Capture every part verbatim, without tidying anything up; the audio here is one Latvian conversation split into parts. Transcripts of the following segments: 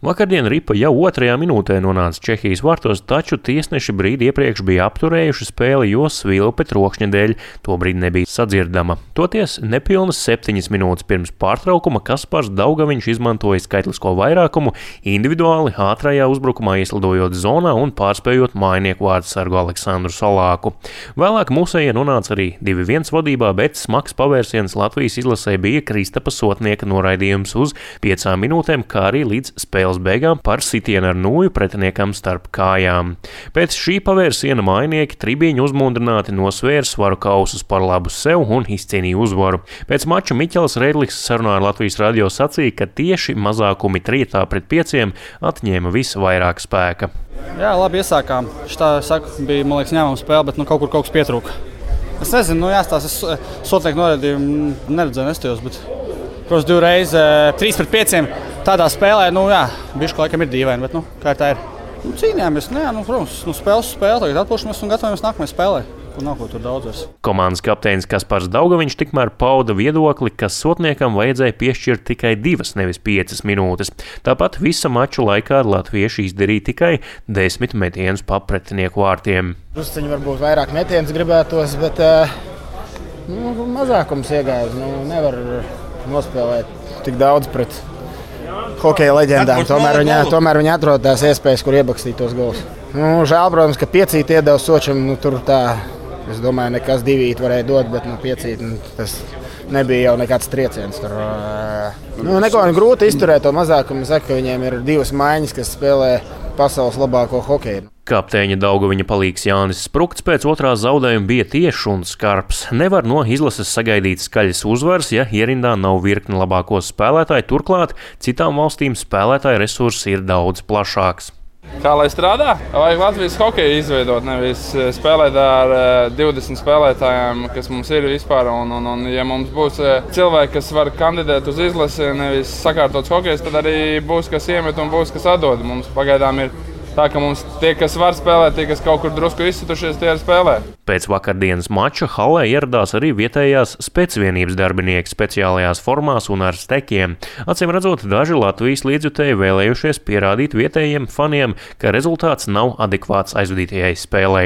Vakardien ripa jau otrajā minūtē nonāca Čehijas vārtos, taču tiesneši brīdi iepriekš bija apturējuši spēli, jo svilpe trokšņa dēļ tobrīd nebija sadzirdama. Toties nepilnas septiņas minūtes pirms pārtraukuma Kaspars Daugaviņš izmantoja skaitlisko vairākumu, individuāli ātrajā uzbrukumā ieslidojot zonā un pārspējot mājinieku vārdsargu Aleksandru Salāku. Vēlāk mūsējie nonāca arī divi viens vadībā, bet smags pavērsiens Latvijas izlasē bija Kristapa Sotnieka noraidījums uz piecām minūtēm, kā arī līdz spēles beigām par sitienu ar nūju pretiniekam starp kājām. Pēc šī pavērsiena mājinieki tribīņu uzmundrināti nosvēra svaru kausus par labu sev un izcīnīja uzvaru. Pēc mača Miķels Redliks sarunā ar Latvijas radio sacīja, ka tieši mazākumi trietā pret pieciem atņēma visvairāk spēka. Jā, labi iesākām. Šitā, saku, bija, man liekas, ņēmama spēle, bet nu, kaut kur kaut kas pietrūka. Es nezinu, nu jāstās, es Sotnieku noraidījumu neredzēju, nestījos, bet, protams, divreiz trīs pret pieciem tādā spēlē, nu jā, bišķi laikam ir dīvaini, bet, nu, kā tā ir. Nu, cīnījāmies, nu jā, nu, protams, nu, spēles spēle, tagad atpūšamies un gatavojamies nākamajai spēlē. Kur nav ko tur daudz vairs. Komandas kapteinis Kaspars Daugaviņš tikmēr pauda viedokli, ka Sotniekam vajadzēja piešķirt tikai divas, nevis piecas minūtes. Tāpat visa maču laikā latvieši izdarīja tikai desmit metienus pa pretinieku vārtiem. Drusciņi varbūt vairāk metienus gribētos, bet nu, mazākums iegāja. Nu, nevar nospēlēt tik daudz pret hokeja leģendām. Tomēr viņi, tomēr viņi atrod tās iespējas, kur iebakstīt tos golus. Nu, žēl, protams, ka piecīt iedeva Sočam, nu, tur tā, es domāju, nekas divīt varēja dot, bet nu, piecīt, nu, tas nebija jau nekāds trieciens. Tur, nu, neko grūti izturēt to mazākumu. Saka, ka viņiem ir divas maiņas, kas spēlē pasaules labāko hokeju. Kapteiņa Daugaviņa palīgs Jānis Sprukts pēc otrā zaudējuma bija tiešs un skarbs. Nevar no izlases sagaidīt skaļas uzvaras, ja ierindā nav virkni labāko spēlētāju, turklāt citām valstīm spēlētāju resursi ir daudz plašāks. Kā lai strādā? Vajag Latvijas hokeju izveidot, nevis spēlēt ar divdesmit spēlētājiem, kas mums ir vispār. Un, un, un ja mums būs cilvēki, kas var kandidēt uz izlasi, nevis sakārtots hokejs, tad arī būs, kas iemet un būs, kas atdod. Mums pagaidām ir tā, ka mums tie, kas var spēlēt, tie, kas kaut kur drusku izsitušies, tie arī spēlē. Pēc vakardienas mača halē ieradās arī vietējās specvienības darbinieki speciālajās formās un ar stekiem. Acīm redzot, daži Latvijas līdzjutēji vēlējušies pierādīt vietējiem faniem, ka rezultāts nav adekvāts aizvadītajai spēlei.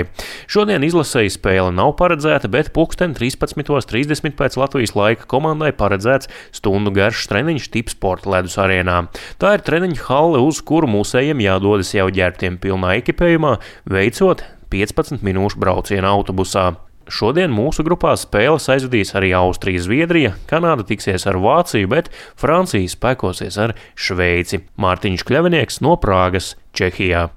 Šodien izlasēji spēle nav paredzēta, bet pulksten trīspadsmit trīsdesmit pēc Latvijas laika komandai paredzēts stundu garš treniņš Tipsporta ledus arēnā. Tā ir treniņu hale, uz kuru mūsējiem jādodas jau ģērbtiem pilnā ekipējumā, veicot piecpadsmit minūšu braucienu autobusā. Šodien mūsu grupā spēles aizvadīs arī Austrija, Zviedrija, Kanāda tiksies ar Vāciju, bet Francija spēkosies ar Šveici. Mārtiņš Kļavinieks no Prāgas, Čehijā.